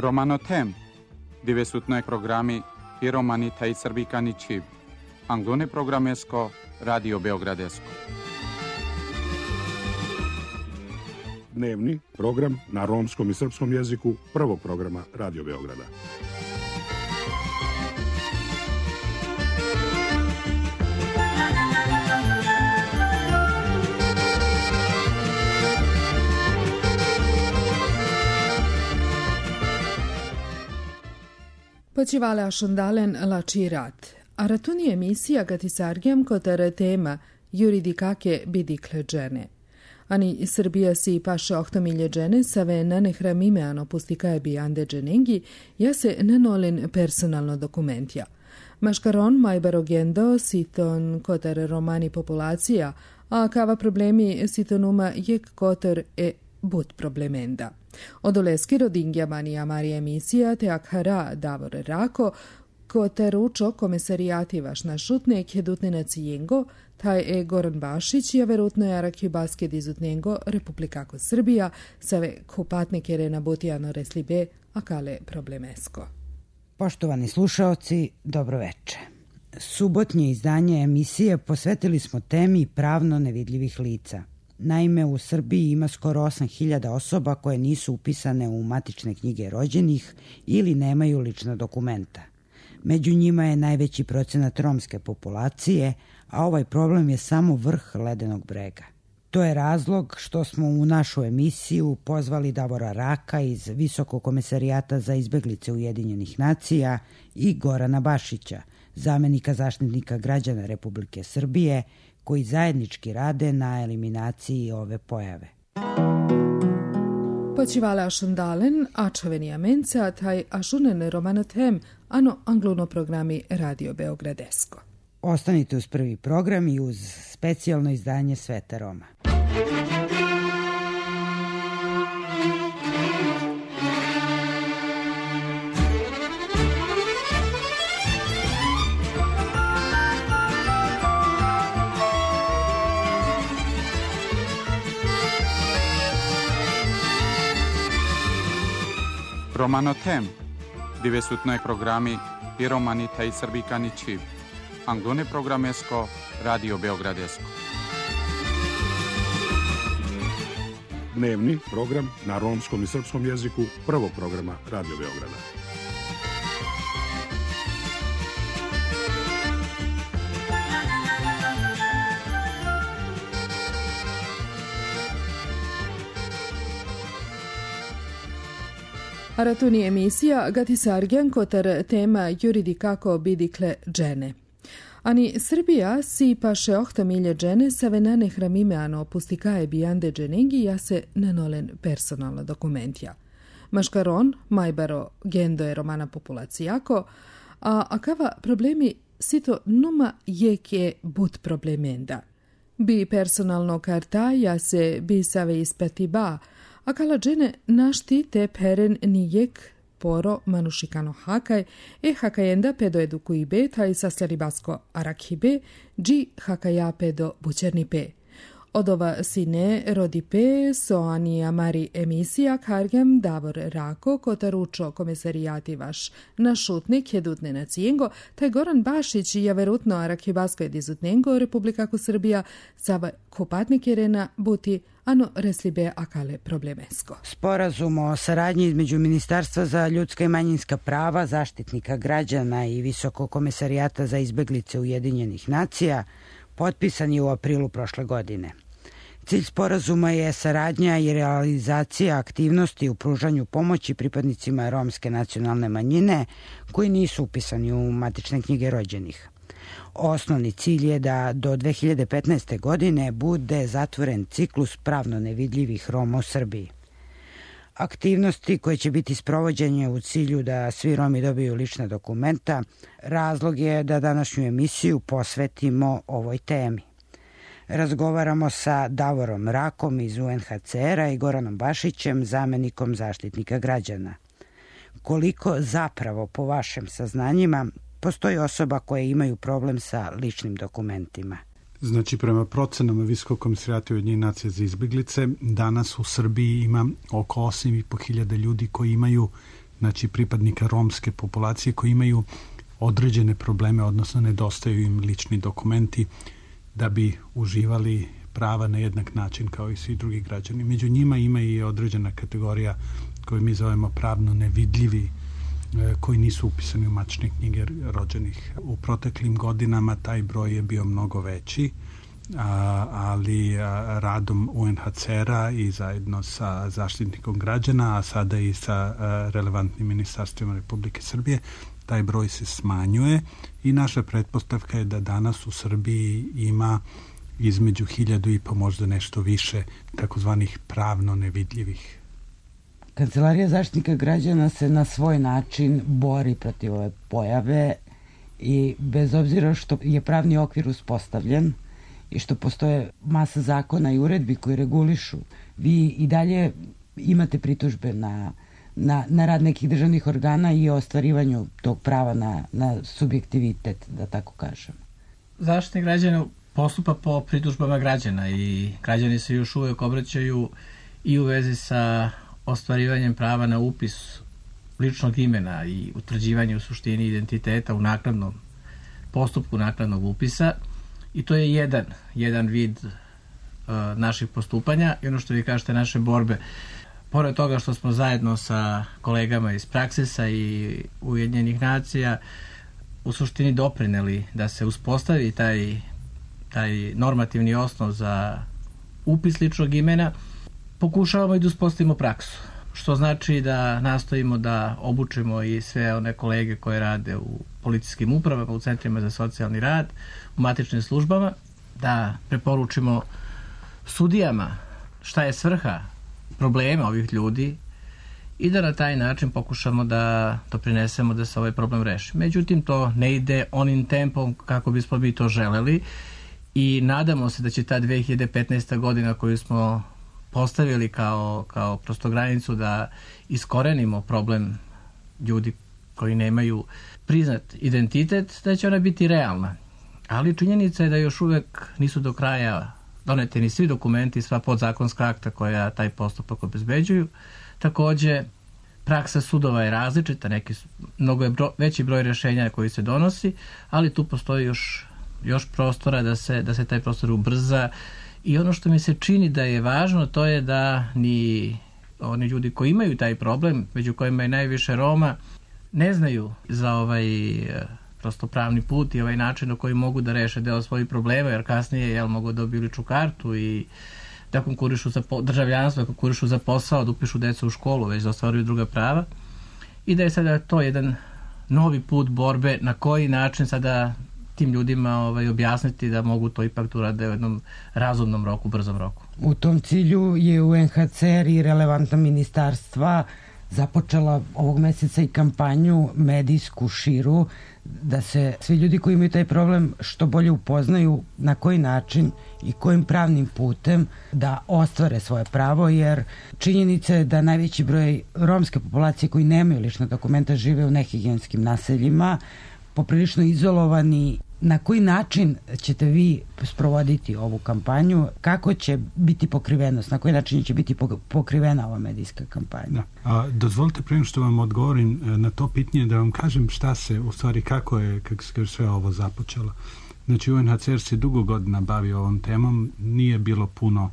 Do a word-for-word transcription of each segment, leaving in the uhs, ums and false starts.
Romano Tem, dove su noi programmi i romani taj srbikani čib, anglone programesko, Radio Beogradesko. Dnevni program na romskom i srpskom jeziku prvog programa Radio Beograda. Počivale šondalen lači rat. A ratuni emisija gati sargem kotere tema juridikake bidikle džene. Ani Srbija si paše ohtomilje džene save nanehramime ano pustikaje bi ande dženengi, ja se nenolin personalno dokumentja. Maškaron majbarogendo siton kotere romani populacija, a kava problemi sitonuma jek koter e but problemenda. Odoleski rodingja manija Marija emisija te akhara Davor Rako, koteručo komisarijati vaš na šutne kedutne cijengo, taj e Goran Bašić je verutno jaraki basket izutnjengo Republikako Srbija, save kupatne kere na butijano reslibe, a kale problemesko. Poštovani slušaoci, dobroveče. Subotnje izdanje emisije posvetili smo temi pravno nevidljivih lica. Naime, u Srbiji ima skoro osam hiljada osoba koje nisu upisane u matične knjige rođenih ili nemaju lična dokumenta. Među njima je najveći procenat romske populacije, a ovaj problem je samo vrh ledenog brega. To je razlog što smo u našu emisiju pozvali Davora Raka iz Visokog komesarijata za izbeglice Ujedinjenih nacija i Gorana Bašića, zamenika zaštitnika građana Republike Srbije, koji zajednički rade na eliminaciji ove pojave. Počivale ašondalen, ačaveni amenca, taj ašunen romanotem, ano angluno programi Radio Beogradesko. Ostanite uz prvi program i uz specijalno izdanje Sveta Roma. Romano Tem, dove su noi programmi i romani taj srbikani čib, anglone programesko, Radio Beogradesko. Dnevni program na romskom i srpskom jeziku prvog programa Radio Beograda. Aratuni emisija gati sargen kotar tema juridikako bidikle džene. Ani Srbija si paše ohtomilje džene save nanehramime ano pustikaje bi ande dženengi ja se nenolen personalna dokumentja. Maškaron, majbaro gendo je romana populacijako, a akava problemi sito numa jeke but problemenda. Bi personalno karta ja se bi save ispati ba, a kala džene našti te peren nijek poro manušikano hakaj, e hakajenda pedo edukuji be, taj saslari basko arakhibe, dži hakaja pedo bučerni pe. Odova sine rodi pe, soani amari emisija kargem Davor Rako, kotaručo komisarijati vaš na šutnik jedutne na cijengo, taj Goran Bašić je verutno arakhibasko jedizutnengo Republikako Srbija, sava kupatnik jerena buti ano reslibe akale problemesko. Sporazum o saradnji između Ministarstva za ljudska i manjinska prava, zaštitnika građana i Visokog komesarijata za izbeglice Ujedinjenih nacija potpisan je u aprilu prošle godine. Cilj sporazuma je saradnja i realizacija aktivnosti u pružanju pomoći pripadnicima romske nacionalne manjine koji nisu upisani u matične knjige rođenih. Osnovni cilj je da do dve hiljade petnaeste. godine bude zatvoren ciklus pravno nevidljivih Roma u Srbiji. Aktivnosti koje će biti sprovođenje u cilju da svi Romi dobiju lična dokumenta, razlog je da današnju emisiju posvetimo ovoj temi. Razgovaramo sa Davorom Rakom iz U N H C R-a i Goranom Bašićem, zamenikom zaštitnika građana. Koliko zapravo, po vašim saznanjima, postoji osoba koje imaju problem sa ličnim dokumentima? Znači, prema procenama Visokog komesarijata Ujedinjenih nacija za izbeglice, danas u Srbiji ima oko osam i po hiljada ljudi koji imaju znači pripadnika romske populacije koji imaju određene probleme, odnosno nedostaju im lični dokumenti da bi uživali prava na jednak način kao i svi drugi građani. Među njima ima i određena kategorija koju mi zovemo pravno nevidljivi, koji nisu upisani u matične knjige rođenih. U proteklim godinama taj broj je bio mnogo veći, a, ali a, radom U N H C R-a i zajedno sa zaštitnikom građana, a sada i sa a, relevantnim ministarstvima Republike Srbije, taj broj se smanjuje i naša pretpostavka je da danas u Srbiji ima između hiljadu i pa možda nešto više takozvanih pravno nevidljivih. Kancelarija zaštitnika građana se na svoj način bori protiv ove pojave i bez obzira što je pravni okvir uspostavljen i što postoje masa zakona i uredbi koji regulišu, vi i dalje imate pritužbe na, na, na rad nekih državnih organa i o ostvarivanju tog prava na, na subjektivitet, da tako kažem. Zaštitnik građana postupa po pritužbama građana i građani se još uvek obraćaju i u vezi sa ostvarivanjem prava na upis ličnog imena i utvrđivanje u suštini identiteta u naknadnom postupku naknadnog upisa i to je jedan, jedan vid uh, naših postupanja i ono što vi kažete naše borbe. Pored toga što smo zajedno sa kolegama iz Praksisa i Ujedinjenih nacija u suštini doprineli da se uspostavi taj, taj normativni osnov za upis ličnog imena, pokušavamo i da uspostavimo praksu, što znači da nastojimo da obučimo i sve one kolege koje rade u policijskim upravama, u centrima za socijalni rad, u matičnim službama, da preporučimo sudijama šta je svrha problema ovih ljudi i da na taj način pokušamo da doprinesemo da se ovaj problem reši. Međutim, to ne ide onim tempom kako bismo mi to želeli i nadamo se da će ta dve hiljade petnaesta godina koju smo postavili kao, kao prosto granicu da iskorenimo problem ljudi koji nemaju priznat identitet, da će ona biti realna. Ali činjenica je da još uvek nisu do kraja doneti ni svi dokumenti, sva podzakonska akta koja taj postupak obezbeđuju. Takođe, praksa sudova je različita, neki su, mnogo je bro, veći broj rešenja koji se donosi, ali tu postoji još, još prostora da se, da se taj prostor ubrza. I ono što mi se čini da je važno, to je da ni oni ljudi koji imaju taj problem, među kojima je najviše Roma, ne znaju za ovaj prosto pravni put i ovaj način na koji mogu da reše deo svojih problema, jer kasnije jel, mogu da dobiju ličnu kartu i da konkurišu za državljanstvo, da konkurišu za posao, da upišu decu u školu, već da ostvaruju druga prava. I da je sada to jedan novi put borbe na koji način sada tim ljudima ovaj, objasniti da mogu to ipak da urade u jednom razumnom roku, brzom roku. U tom cilju je U N H C R i relevantna ministarstva započela ovog meseca i kampanju medijsku širu da se svi ljudi koji imaju taj problem što bolje upoznaju na koji način i kojim pravnim putem da ostvare svoje pravo, jer činjenica je da najveći broj romske populacije koji nemaju lična dokumenta žive u nehigijenskim naseljima, poprilično izolovani. Na koji način ćete vi sprovoditi ovu kampanju? Kako će biti pokrivenost? Na koji način će biti pokrivena ova medijska kampanja? Da. A, dozvolite prema što vam odgovorim na to pitanje da vam kažem šta se, u stvari kako je, kako se sve ovo započelo. Znači U N H C R se dugo godina bavi ovom temom, nije bilo puno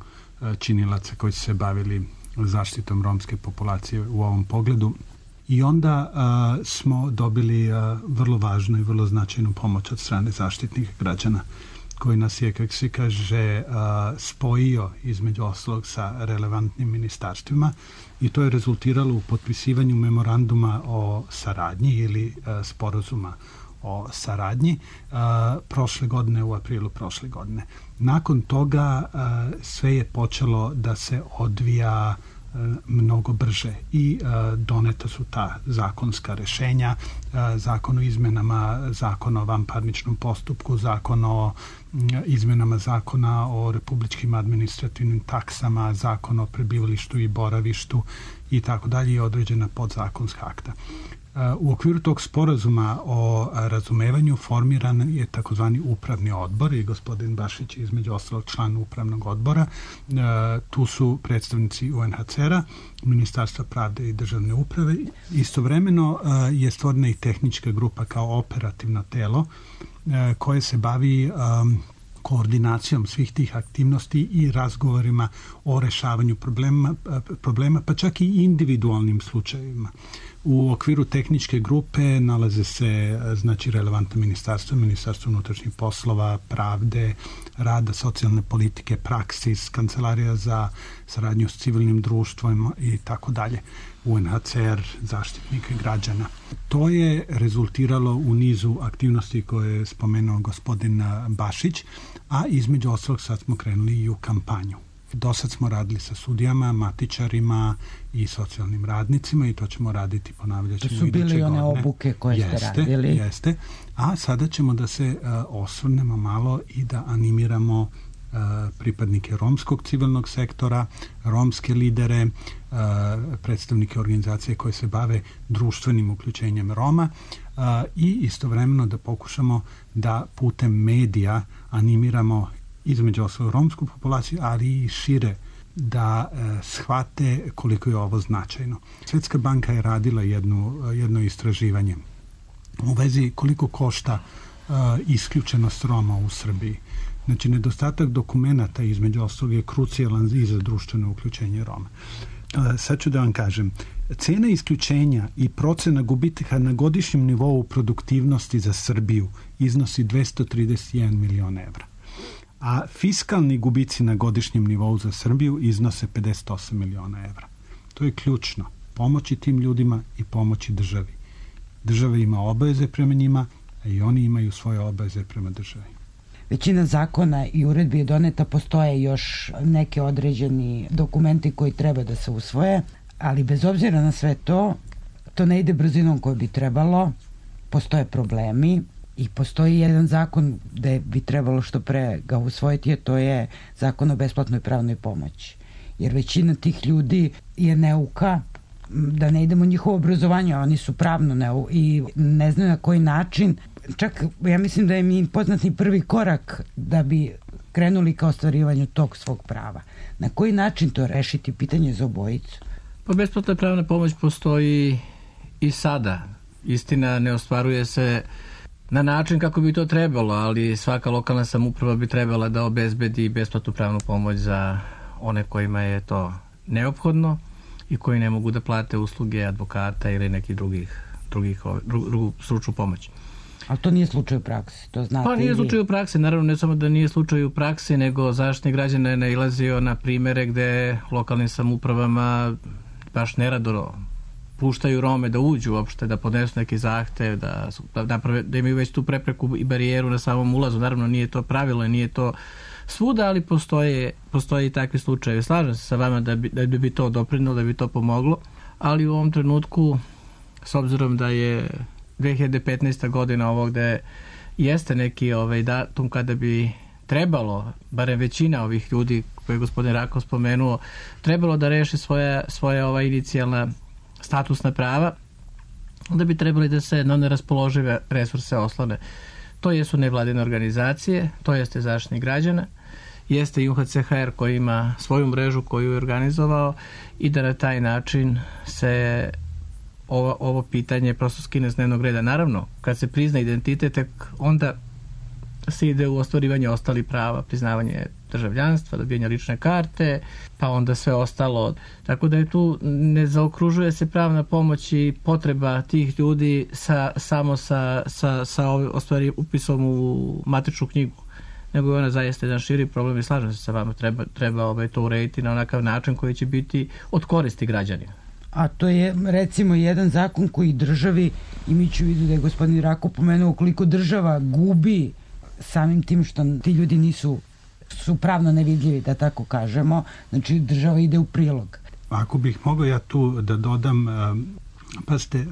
činilaca koji su se bavili zaštitom romske populacije u ovom pogledu. I onda a, smo dobili a, vrlo važnu i vrlo značajnu pomoć od strane zaštitnika građana, koji nas je, kako se kaže, a, spojio između ostalog sa relevantnim ministarstvima i to je rezultiralo u potpisivanju memoranduma o saradnji ili a, sporazuma o saradnji a, prošle godine, u aprilu prošle godine. Nakon toga a, sve je počelo da se odvija mnogo brže i uh, doneta su ta zakonska rešenja, uh, zakon o izmenama zakona o vanparničnom postupku, zakon o um, izmenama zakona o republičkim administrativnim taksama, zakon o prebivalištu i boravištu i tako dalje i određena podzakonska akta. U okviru tog sporazuma o razumevanju formiran je takozvani upravni odbor i gospodin Bašić je između ostalog član upravnog odbora. Tu su predstavnici U N H C R-a Ministarstva pravde i državne uprave. Istovremeno je stvorena i tehnička grupa kao operativno telo koje se bavi koordinacijom svih tih aktivnosti i razgovorima o rešavanju problema, problema pa čak i individualnim slučajevima. U okviru tehničke grupe nalaze se znači relevantno ministarstvo, ministarstvo unutrašnjih poslova, pravde, rada, socijalne politike, praksis, kancelarija za saradnju s civilnim društvom i tako dalje, U N H C R, zaštitnike građana. To je rezultiralo u nizu aktivnosti koje je spomenuo gospodin Bašić, a između ostalog sad smo krenuli i u kampanju. Do sad smo radili sa sudijama, matičarima i socijalnim radnicima i to ćemo raditi, ponavljat ćemo iduće godine. To su bili one obuke koje jeste, ste radili. Jeste, a sada ćemo da se uh, osvrnemo malo i da animiramo uh, pripadnike romskog civilnog sektora, romske lidere, uh, predstavnike organizacije koje se bave društvenim uključenjem Roma uh, i istovremeno da pokušamo da putem medija animiramo između osnovu romsku populaciju, ali i šire da e, shvate koliko je ovo značajno. Svjetska banka je radila jednu, jedno istraživanje u vezi koliko košta e, isključenost Roma u Srbiji. Znači, nedostatak dokumenata između ostalog je krucijalan i za društveno uključenje Roma. E, sad ću da vam kažem, cena isključenja i procena gubitka na godišnjem nivou produktivnosti za Srbiju iznosi dvesta trideset jedan milion evra. A fiskalni gubici na godišnjem nivou za Srbiju iznose pedeset osam miliona evra. To je ključno. Pomoći tim ljudima i pomoći državi. Država ima obaveze prema njima, a i oni imaju svoje obaveze prema državi. Većina zakona i uredbi je doneta, postoje još neke određeni dokumenti koji treba da se usvoje, ali bez obzira na sve to, to ne ide brzinom koju bi trebalo, postoje problemi. I postoji jedan zakon gde bi trebalo što pre ga usvojiti, a to je zakon o besplatnoj pravnoj pomoći. Jer većina tih ljudi je neuka, da ne idemo u njihovo obrazovanje, oni su pravno neuka i ne znaju na koji način. Čak ja mislim da je mi poznat ni prvi korak da bi krenuli ka ostvarivanju tog svog prava. Na koji način to rešiti, pitanje za obojicu? Pa besplatna pravna pomoć postoji i sada. Istina, ne ostvaruje se na način kako bi to trebalo, ali svaka lokalna samouprava bi trebala da obezbedi besplatnu pravnu pomoć za one kojima je to neophodno i koji ne mogu da plate usluge advokata ili nekih drugih, drugih dru, drugu stručnu pomoć. Ali to nije slučaj u praksi, to znate. Pa nije slučaj u praksi, naravno ne samo da nije slučaj u praksi, nego Zaštitnik građana je nailazio na primere gde lokalnim samoupravama baš nerado puštaju Rome da uđu uopšte, da podnesu neki zahtev, da, da, naprave, da imaju već tu prepreku i barijeru na samom ulazu. Naravno nije to pravilo, nije to svuda, ali postoje, postoje i takvi slučajevi. Slažem se sa vama da bi, da bi to doprinilo, da bi to pomoglo, ali u ovom trenutku, s obzirom da je dve hiljade petnaesta godina ovo gde jeste neki ovaj datum kada bi trebalo, barem većina ovih ljudi koje je gospodin Rakov spomenuo, trebalo da reši svoje, svoje ova inicijalna statusna prava, da bi trebali da se na neraspoložive resurse oslone. To jesu nevladine organizacije, to jeste Zaštitnik građana, jeste i U N H C H R koji ima svoju mrežu koju je organizovao i da na taj način se ovo, ovo pitanje prosto skine s dnevnog reda. Naravno, kad se prizna identitet, tek onda se ide u ostvarivanje ostalih prava, priznavanje državljanstva, dobijanje lične karte, pa onda sve ostalo. Tako da je tu ne zaokružuje se pravna pomoć i potreba tih ljudi sa, samo sa, sa, sa ostvari upisom u matičnu knjigu, nego je ona zaista jedan širi problem i slažem se sa vama, treba, treba ovaj, to urediti na onakav način koji će biti od koristi građanima. A to je recimo jedan zakon koji državi, imajući u vidu da je gospodin Rako pomenuo koliko država gubi samim tim što ti ljudi nisu su pravno nevidljivi, da tako kažemo, znači država ide u prilog. Ako bih mogao ja tu da dodam, pa ste,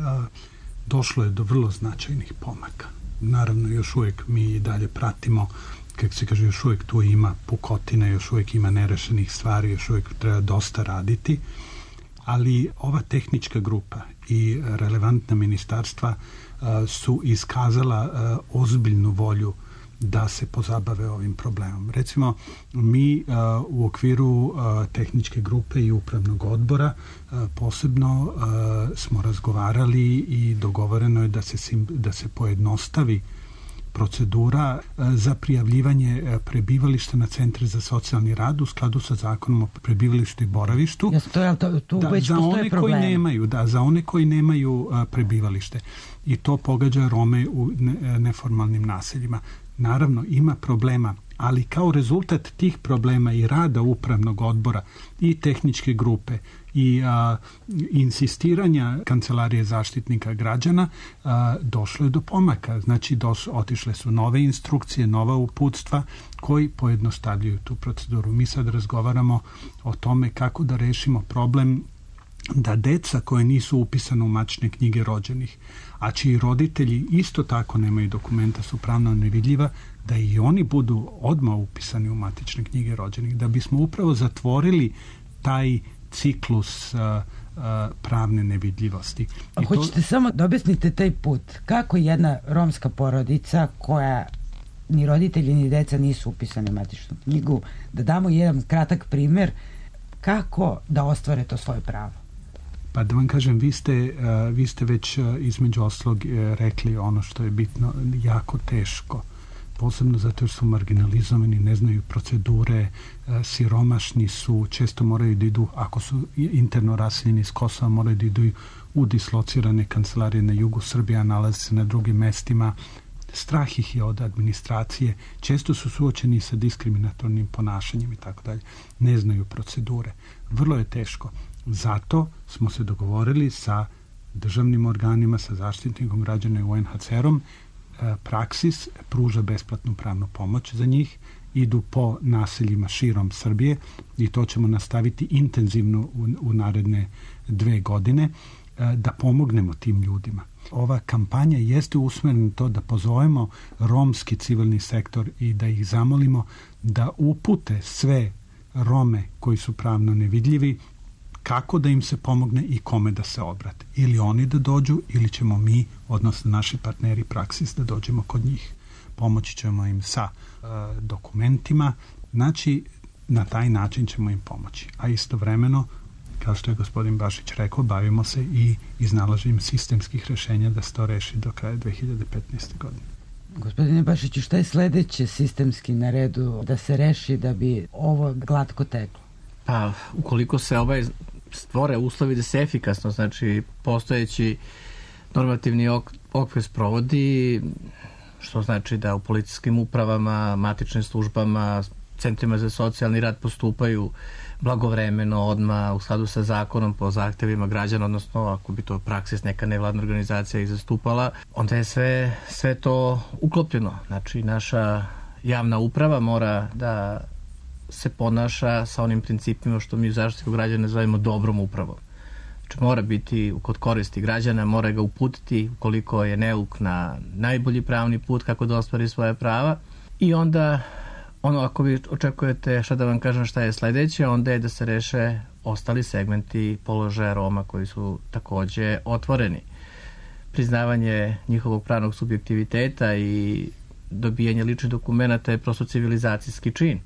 došlo je do vrlo značajnih pomaka. Naravno, još uvijek mi i dalje pratimo, kako se kaže, još uvijek tu ima pukotina, još uvijek ima nerešenih stvari, još uvijek treba dosta raditi, ali ova tehnička grupa i relevantna ministarstva su iskazala ozbiljnu volju da se pozabave ovim problemom. Recimo, mi uh, u okviru uh, tehničke grupe i upravnog odbora uh, posebno uh, smo razgovarali i dogovoreno je da se, sim, da se pojednostavi procedura za prijavljivanje prebivališta na centre za socijalni rad u skladu sa zakonom o prebivalištu i boravištu. Jasno, to, to, tu da, već za postoje one problemi. koji nemaju, da, za one koji nemaju a, prebivalište. I to pogađa Rome u ne, neformalnim naseljima. Naravno, ima problema, ali kao rezultat tih problema i rada upravnog odbora i tehničke grupe i a, insistiranja Kancelarije zaštitnika građana a, došlo je do pomaka. Znači, doš, otišle su nove instrukcije, nova uputstva koji pojednostavljuju tu proceduru. Mi sad razgovaramo o tome kako da rešimo problem da deca koje nisu upisane u matične knjige rođenih, a čiji roditelji isto tako nemaju dokumenta, su pravno nevidljiva, da i oni budu odmah upisani u matične knjige rođenih, da bismo upravo zatvorili taj ciklus uh, uh, pravne nevidljivosti. A hoćete to... samo da objasnite taj put. Kako jedna romska porodica koja ni roditelji ni deca nisu upisani u matičnu knjigu, da damo jedan kratak primer kako da ostvare to svoje pravo? Pa da vam kažem, vi ste, uh, vi ste već uh, između oslog uh, rekli ono što je bitno, jako teško. Posebno zato jer su marginalizovani, ne znaju procedure, uh, siromašni su, često moraju da idu, ako su interno raseljeni iz Kosova, moraju da idu u dislocirane kancelarije na jugu Srbije, a nalaze se na drugim mestima. Strah ih je od administracije, često su suočeni sa diskriminatornim ponašanjem i tako dalje. Ne znaju procedure. Vrlo je teško. Zato smo se dogovorili sa državnim organima, sa zaštitnikom građana i U N H C R-om. Praksis pruža besplatnu pravnu pomoć za njih, idu po naseljima širom Srbije i to ćemo nastaviti intenzivno u, u naredne dve godine da pomognemo tim ljudima. Ova kampanja jeste usmerena na to da pozovemo romski civilni sektor i da ih zamolimo da upute sve Rome koji su pravno nevidljivi kako da im se pomogne i kome da se obrate. Ili oni da dođu, ili ćemo mi, odnosno naši partneri Praksis, da dođemo kod njih. Pomoći ćemo im sa uh, dokumentima. Znači, na taj način ćemo im pomoći. A istovremeno, kao što je gospodin Bašić rekao, bavimo se i iznalaženjem sistemskih rešenja da se to reši do kraja dve hiljade petnaeste. godine. Gospodine Bašiću, šta je sledeće sistemski na redu da se reši da bi ovo glatko teklo? Pa, ukoliko se ovaj stvore uslovi da se efikasno, znači postojeći normativni ok, okvir sprovodi, što znači da u policijskim upravama, matičnim službama, centrima za socijalni rad postupaju blagovremeno, odmah, u skladu sa zakonom, po zahtevima građana, odnosno ako bi to Praksis neka nevladna organizacija ih zastupala, onda je sve, sve to uklopljeno. Znači, naša javna uprava mora da se ponaša sa onim principima što mi u zaštitu građana zovemo dobrom upravom. Znači, mora biti kod koristi građana, mora ga uputiti ukoliko je neuk na najbolji pravni put kako da ostvari svoje prava. I onda, ono, ako vi očekujete šta da vam kažem šta je sledeće, onda je da se reše ostali segmenti položaja Roma koji su takođe otvoreni. Priznavanje njihovog pravnog subjektiviteta i dobijanje ličnih dokumenta je prosto civilizacijski čin.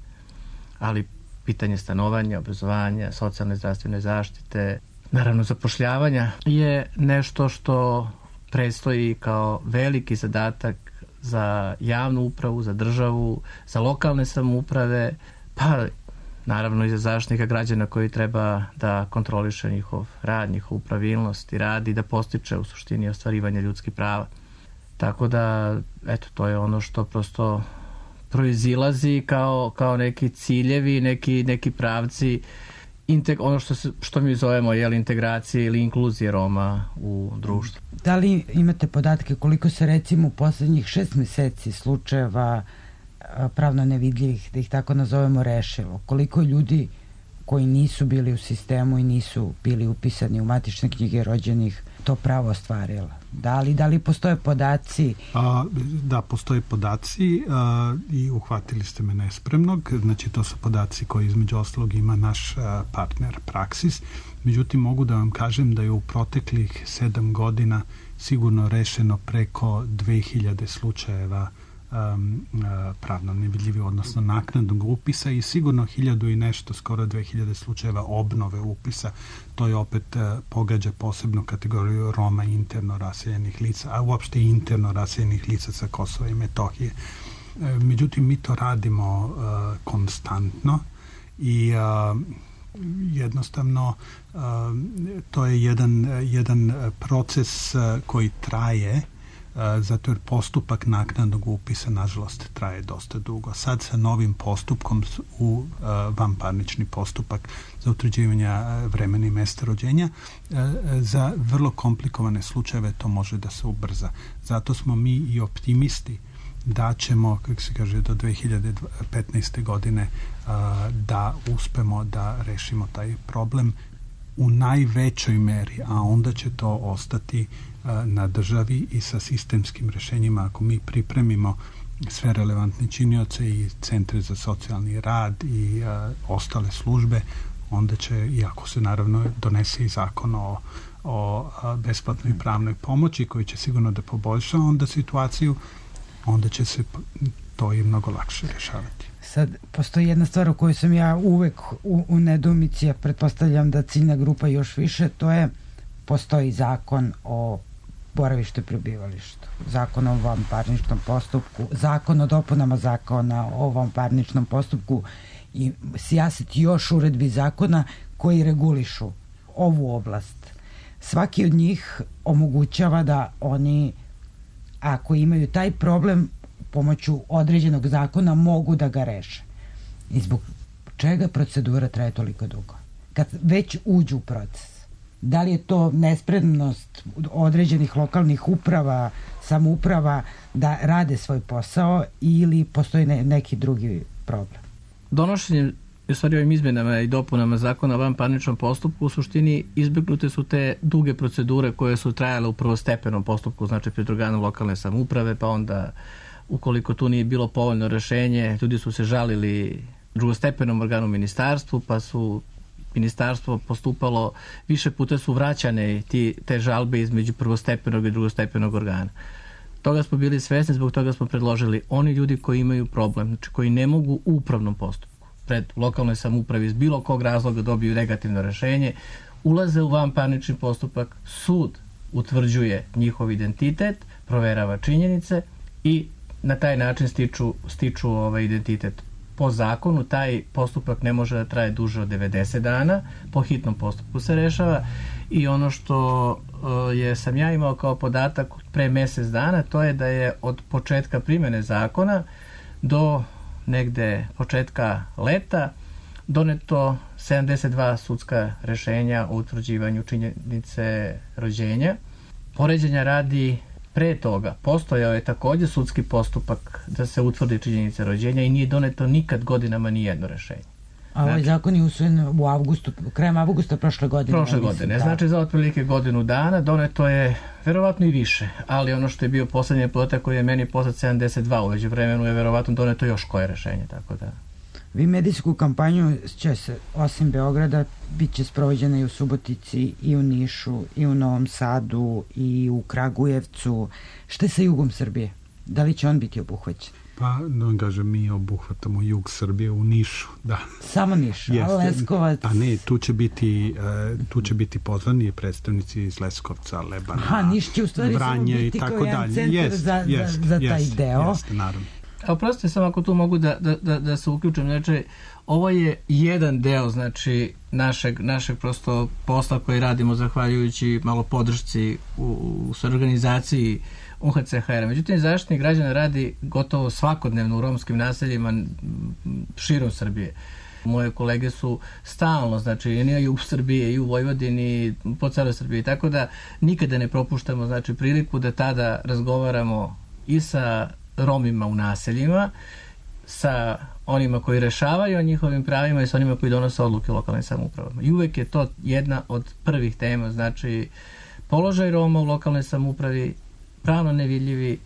Ali pitanje stanovanja, obrazovanja, socijalne zdravstvene zaštite, naravno zapošljavanja je nešto što predstoji kao veliki zadatak za javnu upravu, za državu, za lokalne samouprave, pa naravno i za zaštitnika građana koji treba da kontroliše njihov rad, njihovu pravilnost i rad i da postiče u suštini ostvarivanje ljudskih prava. Tako da, eto, to je ono što prosto proizilazi kao, kao neki ciljevi, neki, neki pravci, integ, ono što, se, što mi zovemo jel, integracije ili inkluzije Roma u društvu. Da li imate podatke koliko se recimo u poslednjih šest meseci slučajeva pravno nevidljivih, da ih tako nazovemo, rešilo? Koliko ljudi koji nisu bili u sistemu i nisu bili upisani u matične knjige rođenih to pravo ostvarila? Da li, da li postoje podaci? A, da, postoje podaci a, i uhvatili ste me nespremnog. Znači, to su podaci koji između ostalog ima naš a, partner Praksis. Međutim, mogu da vam kažem da je u proteklih sedam godina sigurno rešeno preko dve hiljade slučajeva um, pravno nevidljivi, odnosno naknadnog upisa i sigurno hiljadu i nešto, skoro dve hiljade slučajeva obnove upisa. To je opet uh, pogađa posebnu kategoriju Roma interno raseljenih lica, a uopšte interno raseljenih lica sa Kosova i Metohije. Uh, međutim, mi to radimo uh, konstantno i uh, jednostavno uh, to je jedan, jedan proces uh, koji traje, uh, zato jer postupak naknadnog upisa nažalost traje dosta dugo. Sad sa novim postupkom u uh, vanparnični postupak za utvrđivanje uh, vremena i mesta rođenja, uh, za vrlo komplikovane slučajeve to može da se ubrza. Zato smo mi i optimisti da ćemo, kako se kaže, do dve hiljade petnaeste. godine a, da uspemo da rešimo taj problem u najvećoj meri, a onda će to ostati a, na državi i sa sistemskim rešenjima. Ako mi pripremimo sve relevantne činioce i centre za socijalni rad i a, ostale službe, onda će, iako se naravno donese i zakon o, o a, besplatnoj pravnoj pomoći koji će sigurno da poboljša onda situaciju, onda će se to i mnogo lakše rešavati. Sad, postoji jedna stvar u kojoj sam ja uvek u, u nedumici, a pretpostavljam da ciljna grupa još više, to je, postoji zakon o boravištu i prebivalištu, zakon o vanparničnom postupku, zakon o dopunama zakona o vanparničnom postupku i sijaset još uredbi zakona koji regulišu ovu oblast. Svaki od njih omogućava da oni, ako imaju taj problem, pomoću određenog zakona mogu da ga reše. I zbog čega procedura traje toliko dugo? Kad već uđu u proces. Da li je to nespremnost određenih lokalnih uprava, samouprava da rade svoj posao ili postoji ne, neki drugi problem? Donošenjem, u stvari ovim izmenama i dopunama zakona o vanparničnom postupku, u suštini izbegnute su te duge procedure koje su trajale u prvostepenom postupku, znači pred organom lokalne samouprave, pa onda ukoliko tu nije bilo povoljno rešenje, ljudi su se žalili drugostepenom organu ministarstvu, pa su ministarstvo postupalo, više puta su vraćane ti, te žalbe između prvostepenog i drugostepenog organa. Toga smo bili svesni, zbog toga smo predložili oni ljudi koji imaju problem, znači koji ne mogu u upravnom postupku pred lokalnoj samoupravi iz bilo kog razloga dobiju negativno rešenje, ulaze u vanparnični postupak, sud utvrđuje njihov identitet, proverava činjenice i na taj način stiču, stiču ovaj identitet. Po zakonu taj postupak ne može da traje duže od devedeset dana, po hitnom postupku se rešava i ono što uh, je sam ja imao kao podatak pre mesec dana, to je da je od početka primjene zakona do negde početka leta doneto sedamdeset dva sudska rešenja o utvrđivanju činjenice rođenja. Poređenja radi, pre toga postojao je takođe sudski postupak da se utvrdi činjenica rođenja i nije doneto nikad godinama ni jedno rešenje. A ovaj znači, zakon je usvojen u avgustu, krajem avgusta prošle godine. Prošle godine, mislim, da. Znači za otprilike godinu dana doneto je verovatno i više, ali ono što je bio poslednji podatak koji je meni poslat sedamdeset dva, uveđu vremenu je verovatno doneto još koje rešenje, tako da... Vi medijsku kampanju će se, osim Beograda, bit će sprovođena i u Subotici, i u Nišu, i u Novom Sadu, i u Kragujevcu. Šta je sa jugom Srbije? Da li će on biti obuhvaćen? Pa, da kažem, mi obuhvatamo jug Srbije u Nišu, da. Samo Niš, a Leskovac? Pa ne, tu će biti, uh, tu će biti pozvani predstavnici iz Leskovca, Lebana, Aha, Niš će u stvari Vranje biti i tako kao jedan centar jest, za, jest, za, za taj jest, deo. Jeste, naravno. A oprostite samo ako tu mogu da, da, da, da se uključim, znači ovo je jedan deo znači našeg, našeg prosto posla koji radimo zahvaljujući malo podršci u, u organizaciji U H C H R. Međutim, Zaštitnik građana radi gotovo svakodnevno u romskim naseljima širom Srbije. Moje kolege su stalno, znači i u Srbiji, i u Vojvodini, po celoj Srbiji, tako da nikada ne propuštamo znači priliku da tada razgovaramo i sa Romima u naseljima, sa onima koji rešavaju o njihovim pravima i sa onima koji donose odluke lokalnim samoupravama. I uvek je to jedna od prvih tema, znači položaj Roma u lokalnoj samoupravi, pravno nevidljivi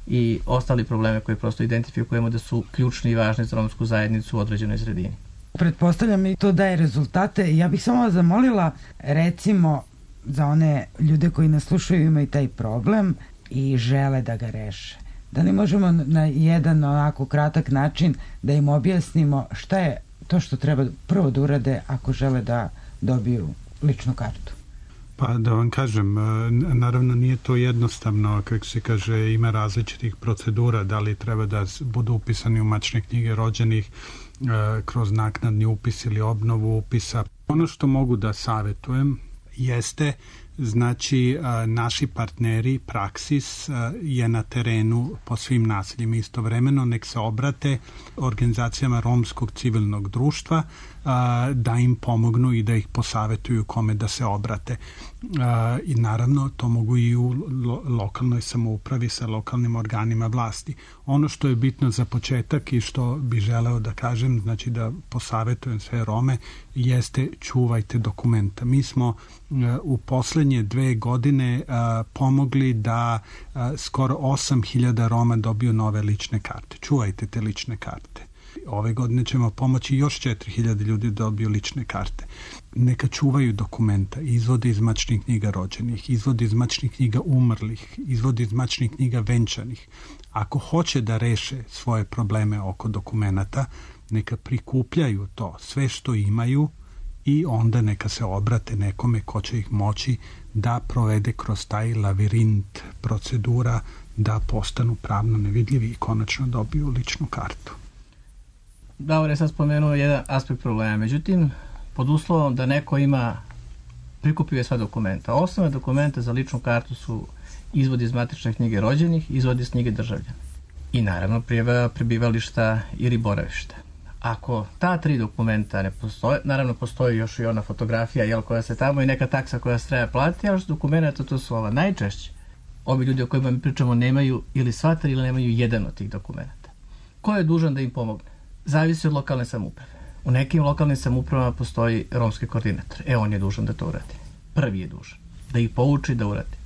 i ostali probleme koje prosto identifikujemo da su ključni i važni za romsku zajednicu u određenoj sredini. Pretpostavljam i to daje rezultate. Ja bih samo vas zamolila, recimo, za one ljude koji nas slušaju imaju taj problem i žele da ga reše. Da li možemo na jedan onako kratak način da im objasnimo šta je to što treba prvo da urade ako žele da dobiju ličnu kartu? Pa da vam kažem, naravno nije to jednostavno, kako se kaže, ima različitih procedura, da li treba da budu upisani u matične knjige rođenih kroz naknadni upis ili obnovu upisa. Ono što mogu da savjetujem jeste, znači, naši partneri Praksis je na terenu po svim naseljima. Istovremeno nek se obrate organizacijama romskog civilnog društva da im pomognu i da ih posavetuju kome da se obrate. I naravno to mogu i u lokalnoj samoupravi sa lokalnim organima vlasti. Ono što je bitno za početak i što bi želeo da kažem, znači da posavetujem sve Rome, jeste čuvajte dokumenta. Mi smo u poslednje dve godine pomogli da skoro osam hiljada Roma dobiju nove lične karte. Čuvajte te lične karte. Ove godine ćemo pomoći još četiri hiljade ljudi da dobiju lične karte. Neka čuvaju dokumenta, izvode iz matičnih knjiga rođenih, izvode iz matičnih knjiga umrlih, izvode iz matičnih knjiga venčanih. Ako hoće da reše svoje probleme oko dokumenata, neka prikupljaju to, sve što imaju, i onda neka se obrate nekome ko će ih moći da provede kroz taj lavirint procedura da postanu pravno nevidljivi i konačno dobiju ličnu kartu. Davor je sad spomenuo jedan aspekt problema, međutim, pod uslovom da neko ima, prikupio je sva dokumenta. Osnovne dokumenta za ličnu kartu su izvod iz matične knjige rođenih, izvod iz knjige državljana i naravno prijava prebivališta ili boravišta. Ako ta tri dokumenta ne postoje, naravno postoji još i ona fotografija, jel, koja se tamo i neka taksa koja se treba platiti, ali što dokumenta to su ova. Najčešće ovi ljudi o kojima mi pričamo nemaju ili sva tri ili nemaju jedan od tih dokumenta. Ko je dužan da im pomogne? Zavisi od lokalne samouprave. U nekim lokalnim samoupravama postoji romski koordinator. E, on je dužan da to uradi. Prvi je dužan. Da ih pouči da uradi.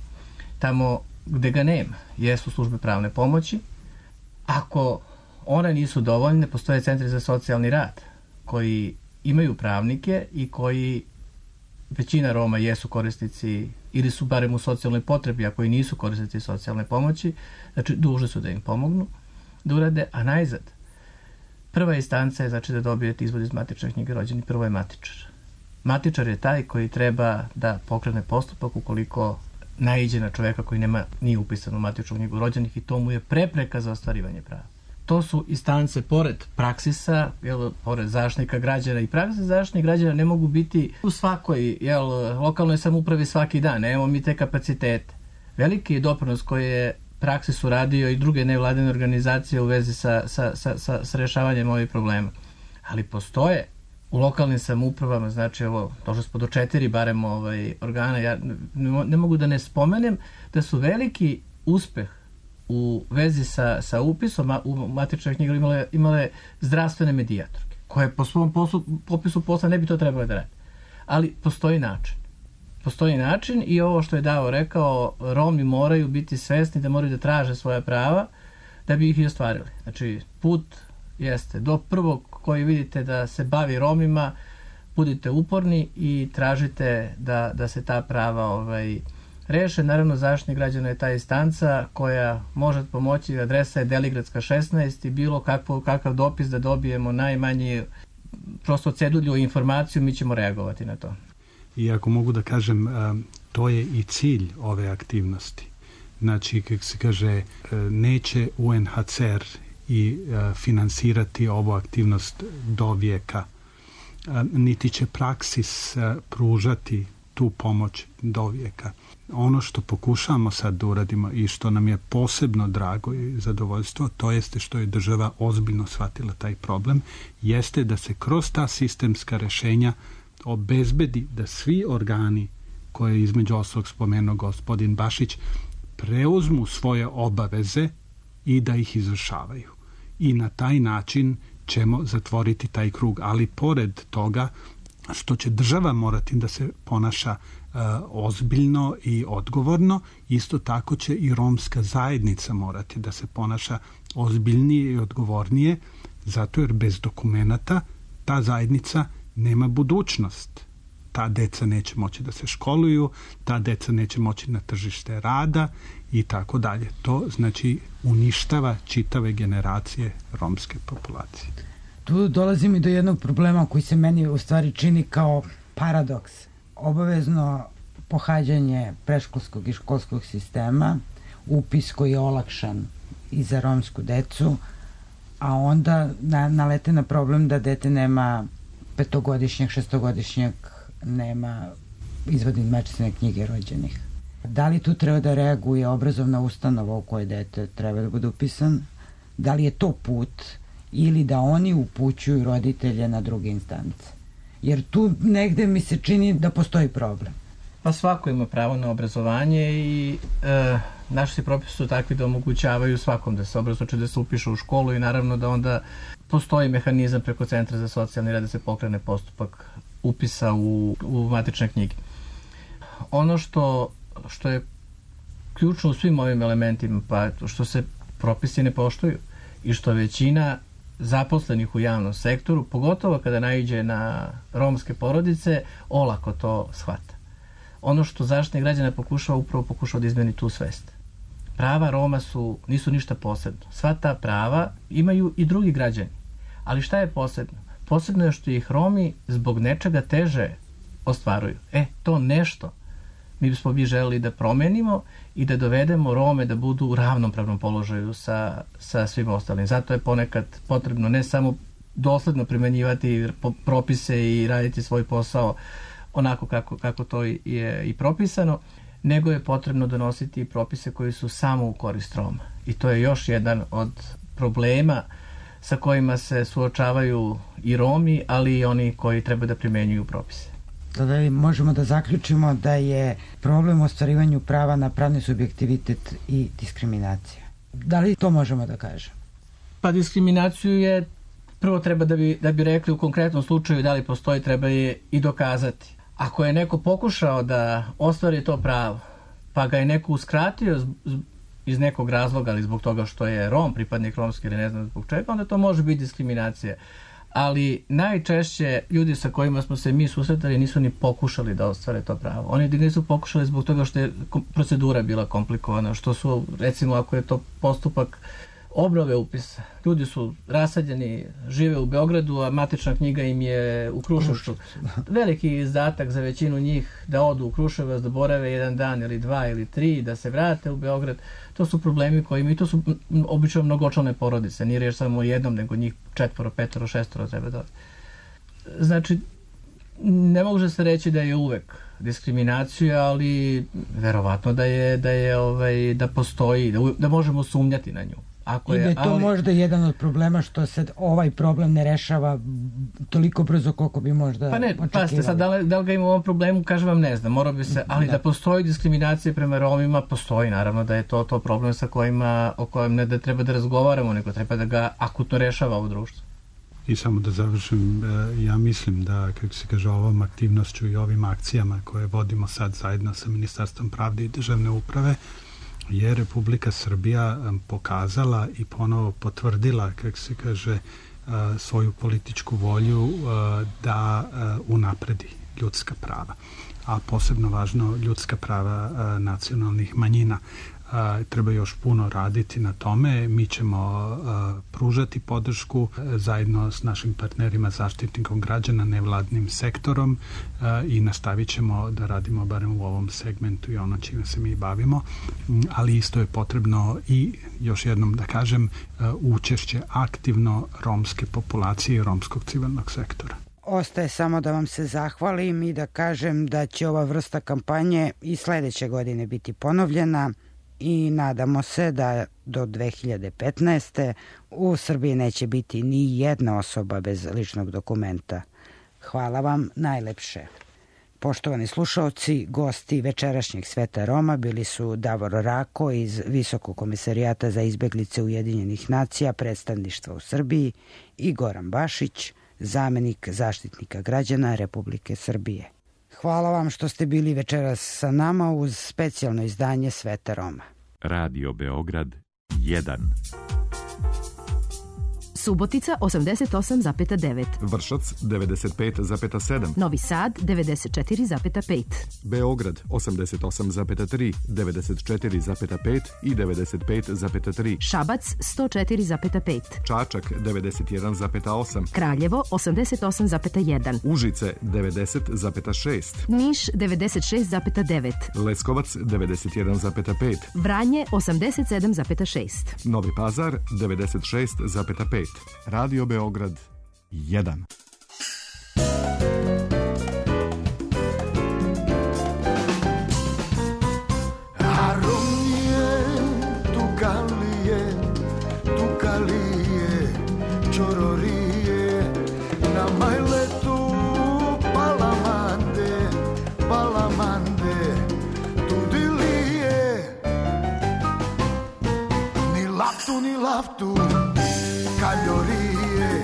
Tamo gde ga nema, jesu službe pravne pomoći. Ako one nisu dovoljne, postoje centri za socijalni rad koji imaju pravnike i koji, većina Roma jesu korisnici ili su barem u socijalnoj potrebi, a koji nisu korisnici socijalne pomoći, znači dužni su da im pomognu da urade, a najzad prva instanca je, znači, da dobijete izvod iz matične knjige rođenih, prvo je matičar. Matičar je taj koji treba da pokrene postupak ukoliko naiđe na čoveka koji nema, nije upisan u matičnu knjigu rođenih i to mu je prepreka za ostvarivanje prava. To su instance pored Praksisa, jel, pored Zaštitnika građana i Praksisa Zaštitnik građana ne mogu biti u svakoj, jel, lokalnoj samoupravi svaki dan. Nemamo mi te kapacitete. Veliki je doprinos koji je Praksis uradio i druge nevladine organizacije u vezi sa, sa, sa, sa, sa rešavanjem ovih problema. Ali postoje u lokalnim samoupravama, znači ovo, došli smo do četiri barem ovaj, organa, ja ne, ne mogu da ne spomenem da su veliki uspeh u vezi sa, sa upisom u matične knjige imale, imale zdravstvene medijatorke, koje po svom poslu, popisu posla ne bi to trebalo da radi. Ali postoji način. Postoji način i ovo što je Davo rekao, Romi moraju biti svesni da moraju da traže svoja prava da bi ih i ostvarili. Znači, put jeste do prvog koji vidite da se bavi Romima, budite uporni i tražite da, da se ta prava ovaj, reše. Naravno, Zaštitnik građana je ta instanca koja može pomoći, adresa je Deligradska šesnaest i bilo kakvo, kakav dopis da dobijemo najmanji prosto cedulju informaciju, mi ćemo reagovati na to. I ako mogu da kažem, to je i cilj ove aktivnosti. Znači, kako se kaže, neće U N H C R i finansirati ovu aktivnost do vijeka, niti će Praksis pružati tu pomoć do vijeka. Ono što pokušamo sad da uradimo i što nam je posebno drago i zadovoljstvo, to jeste što je država ozbiljno shvatila taj problem, jeste da se kroz ta sistemska rešenja obezbedi da svi organi koje je između ostalog spomenuo gospodin Bašić preuzmu svoje obaveze i da ih izvršavaju. I na taj način ćemo zatvoriti taj krug. Ali pored toga što će država morati da se ponaša uh, ozbiljno i odgovorno, isto tako će i romska zajednica morati da se ponaša ozbiljnije i odgovornije, zato jer bez dokumenata ta zajednica nema budućnost. ta deca neće moći da se školuju, ta deca neće moći na tržište rada i tako dalje. To znači uništava čitave generacije romske populacije. Tu dolazim i do jednog problema koji se meni u stvari čini kao paradoks. Obavezno pohađanje predškolskog i školskog sistema, upis koji je olakšan i za romsku decu, a onda na, nalete na problem da dete nema petogodišnjeg, šestogodišnjeg, nema izvadne matične knjige rođenih. Da li tu treba da reaguje obrazovna ustanova u kojoj dete treba da bude upisan? Da li je to put ili da oni upućuju roditelje na druge instance? Jer tu negde mi se čini da postoji problem. Pa svako ima pravo na obrazovanje i e, naši propisi su takvi da omogućavaju svakom da se obrazuje, da se upiše u školu i naravno da onda postoji mehanizam preko Centra za socijalni rad da se pokrene postupak upisa u, u matične knjige. Ono što, što je ključno u svim ovim elementima, pa što se propisi ne poštuju i što većina zaposlenih u javnom sektoru, pogotovo kada naiđe na romske porodice, olako to shvata. Ono što Zaštitnik građana pokušava, upravo pokušava da izmeni tu svest. Prava Roma su, nisu ništa posebno. Sva ta prava imaju i drugi građani. Ali šta je posebno? Posebno je što ih Romi zbog nečega teže ostvaruju. E, to nešto mi bismo bi želeli da promenimo i da dovedemo Rome da budu u ravnopravnom položaju sa, sa svim ostalim. Zato je ponekad potrebno ne samo dosledno primenjivati propise i raditi svoj posao onako kako, kako to je i propisano, nego je potrebno donositi propise koji su samo u korist Roma. I to je još jedan od problema sa kojima se suočavaju i Romi, ali i oni koji treba da primenjuju propise. Tada možemo da zaključimo da je problem u ostvarivanju prava na pravni subjektivitet i diskriminacija. Da li to možemo da kažemo? Pa diskriminaciju je, prvo treba da bi, da bi rekli u konkretnom slučaju da li postoji, treba je i dokazati. Ako je neko pokušao da ostvari to pravo, pa ga je neko uskratio iz nekog razloga, ali zbog toga što je Rom, pripadnik romski ili ne znam zbog čega, onda to može biti diskriminacija. Ali najčešće ljudi sa kojima smo se mi susretali nisu ni pokušali da ostvare to pravo. Oni nisu pokušali zbog toga što je procedura bila komplikovana, što su, recimo, ako je to postupak obnove upisa. Ljudi su rasadjeni, žive u Beogradu, a matična knjiga im je u Kruševcu. Veliki izdatak za većinu njih da odu u Kruševac, da borave jedan dan ili dva ili tri, da se vrate u Beograd. To su problemi koji imaju, to su obično mnogočlane porodice. Nije reč samo o jednom, nego njih četvoro, petoro, šestoro treba da. Znači, ne može se reći da je uvek diskriminacija, ali verovatno da je, da je ovaj, da postoji, da, da možemo sumnjati na nju. Ako I da je to ali... možda jedan od problema što se ovaj problem ne rešava toliko brzo koliko bi možda pa ne, očekivali. Pa ste sad, da li, da li ga ima u ovom problemu, kažem vam ne znam, mora bi se, ali da. da postoji diskriminacija prema Romima, postoji, naravno da je to to problem sa kojima, o kojem ne da treba da razgovaramo, nego treba da ga akutno rešava ovo društvo. I samo da završim, ja mislim da, kako se kaže, ovom aktivnošću i ovim akcijama koje vodimo sad zajedno sa Ministarstvom pravde i državne uprave, je Republika Srbija pokazala i ponovo potvrdila, kako se kaže, svoju političku volju da unapredi ljudska prava, a posebno važno ljudska prava nacionalnih manjina. Treba još puno raditi na tome. Mi ćemo pružati podršku zajedno s našim partnerima, Zaštitnikom građana, nevladnim sektorom i nastavit ćemo da radimo barem u ovom segmentu i ono čime se mi bavimo, ali isto je potrebno i, još jednom da kažem, učešće aktivno romske populacije i romskog civilnog sektora. Ostaje samo da vam se zahvalim i da kažem da će ova vrsta kampanje i sledeće godine biti ponovljena i nadamo se da do dve hiljade petnaeste. u Srbiji neće biti ni jedna osoba bez ličnog dokumenta. Hvala vam najlepše. Poštovani slušaoci, gosti večerašnjeg Sveta Roma bili su Davor Rako iz Visokog komesarijata za izbeglice Ujedinjenih nacija, predstavništva u Srbiji, i Goran Bašić, zamenik Zaštitnika građana Republike Srbije. Hvala vam što ste bili večeras sa nama uz specijalno izdanje Sveta Roma. Radio Beograd jedan. Subotica osamdeset osam zarez devet, Vršac devedeset pet zarez sedam, Novi Sad devedeset četiri zarez pet, Beograd osamdeset osam zarez tri, devedeset četiri zarez pet i devedeset pet zarez tri, Šabac sto četiri zarez pet, Čačak devedeset jedan zarez osam, Kraljevo osamdeset osam zarez jedan, Užice devedeset zarez šest, Niš devedeset šest zarez devet, Leskovac devedeset jedan zarez pet, Vranje osamdeset sedam zarez šest. Novi Pazar devedeset šest zarez pet, Radio Beograd jedan. Aronije, tukalije, tukalije, čororije, na majletu palamande, palamande, tudilije, ni laftu, ni laftu, kaljorije,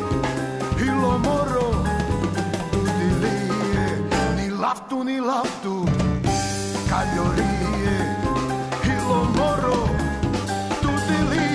ilomoro, tudilije, ni laftu, ni laftu, kaljorije, ilomoro, tudilije.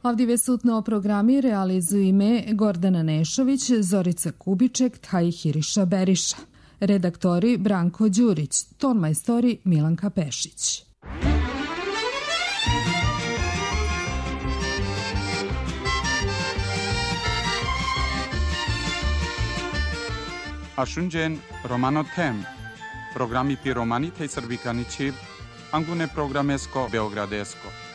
Avdive sutno programi realizuju ime Gordana Nešović, Zorica Kubiček, Tahiriša Beriša. Redaktori Branko Đurić, tonmajstori Milanka Pešić. Ashunjen Romano Tem, programi pi romani tej srbikani čip, angune programesko beogradesko.